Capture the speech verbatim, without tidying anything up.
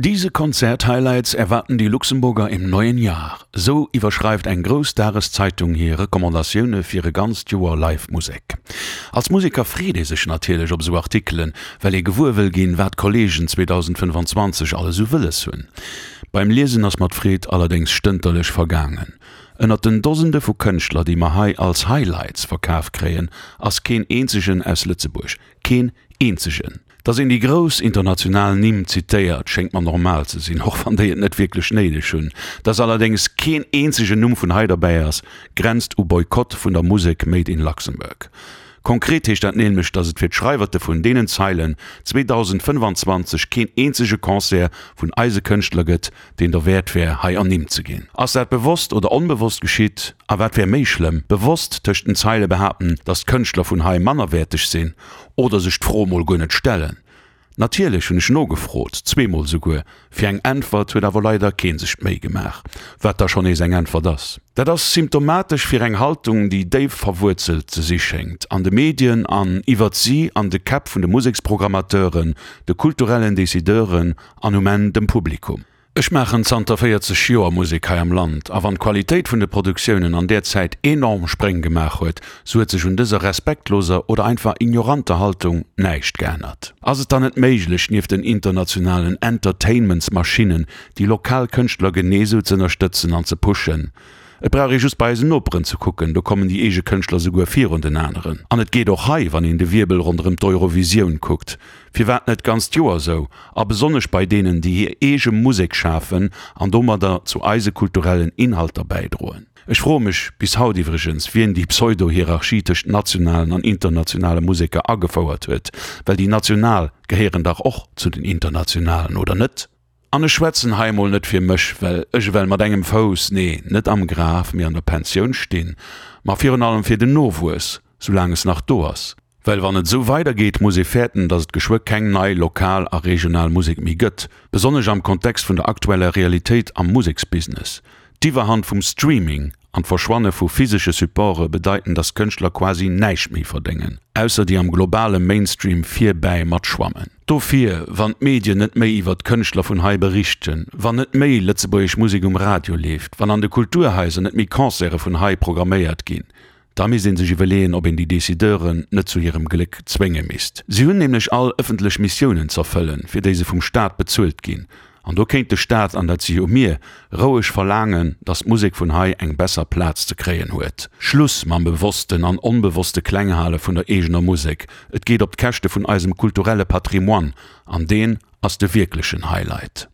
Diese Konzert-Highlights erwarten die Luxemburger im neuen Jahr. Sou iwwerschreift eng grouss Dageszeitung hir Recommandatioune fir e ganzt Joer Live-Musek. Als Museker freet ee sech natierlech op sou Artikelen, well ee gewuer wëll ginn, wat d'Kolleegen zweedausendfënnfanzwanzeg alles sou wëlles hunn. Beim Liesen ass mer d'Freed allerdéngs stënterlech vergaangen. Ënnert den Dosende vu Kënschtler, déi mer hei als Highlights verkaf kréien, ass keen eenzegen aus Lëtzebuerg. Keen eenzegen! Dass een déi grouss international Nimm zitéiert, schéngt mer normal ze sinn, och wann déi et net wierklech néideg hunn. Dass allerdéngs keen eenzegen Numm vun hei derbäi ass, grenzt u Boykott vun der Musek made in Luxembourg. Konkret heescht dat nämlech, dass et fir d'Schreiwerte vun deenen Zeilen zweedausendfënnefanzwanzeg keen eenzege Concert vun eise Kënschtler gëtt, deen derwäert wär, hei ernimmt ze ginn. Ass dat bewosst oder onbewosst geschitt? A wat wär méi schlëmm, bewosst tëscht den Zeile behaapten, dass d'Kënschtler vun hei mannerwäerteg sinn, oder sech d'Fro mol guer net stellen? Natierlech hunn ech nogefrot, zweemol souguer. Fir eng Äntwert huet awer leider kee sech d'Méi gemaach, wat da schonn nees eng Äntwert ass. Dat ass symptomatesch fir eng Haltung, déi déif verwuerzelt ze si schéngt, an de Medien an iwwert si an de Käpp vun de Museksprogrammateuren, de kulturellen Decideuren an um Enn dem Publikum. Ech maachen zanter véierzeg Joer Musek hei am Land, a wann d'Qualitéit vun de Produktiounen an där Zäit enorm Spréng gemaach huet, sou huet sech un dëser respektloser oder einfach ignoranter Haltung näischt geännert. Ass et dann net méiglech, nieft den internationalen Entertainmentsmaschinnen déi lokal Kënschtler genee sou z'ënnerstëtzen an ze pushen? Et brauch ee just bei eisen Noperen ze kucken, do kommen déi eege Kënschtler souguer virun den aneren. An et geet och hei, wann een de Wierbel ronderëm d'Eurovisioun kuckt. Firwat net d'ganzt Joer sou? A besonnesch bei deenen, déi hir eege Musek schafen an domadder zu eise kulturellen Inhalter bäidroen. Ech froe mech bis haut iwwregens, wien déi Pseudo-Hierarchie tëscht nationalen an internationale Museker agefouert huet, well déi national gehéieren dach och zu den internationalen, oder net? An ech schwätzen hei emol net fir mech, well ech ewell mat engem Fouss, nee, net am Graf, mee an der Pensioun stinn, ma virun allem fir den Nowuess, soulaang es nach do ass. Well wann et esou weidergeet, muss ee fäerten, datt et geschwë keng nei lokal a regional Musek méi gëtt, besonnesch am Kontext vun der aktueller Realitéit am Museksbusiness. D'Iwwerhand vum Streaming an d'Verschwanne vu physesche Supporte bedeiten, datt Kënschtler quasi näischt méi verdéngen, ausser déi am globale Mainstream virbäi matschwammen. Dofir, wann d'Medien net méi iwwert d'Kënschtler vun hei berichten, wann net méi lëtzebuergesch Musek um Radio leeft, wann an de Kulturhaiser net méi Concerte vun hei programméiert ginn, da misst ee sech iwwerleeën, ob een déi Decideuren net zu hirem Gléck zwénge misst. Si hunn nämlech all ëffentlech Missiounen z'erfëllen, fir déi se vum Staat bezuelt ginn. An do kéint de Staat, an dat si jo mir, roueg verlaangen, datt d'Musek vun hei eng besser Plaz ze kréien huet. Schluss mam bewossten an onbewosste Klenghale vun der eegener Musek, et geet op d'Käschte vun eisem kulturelle Patrimoine, an deen ass de wierklechen Highlight.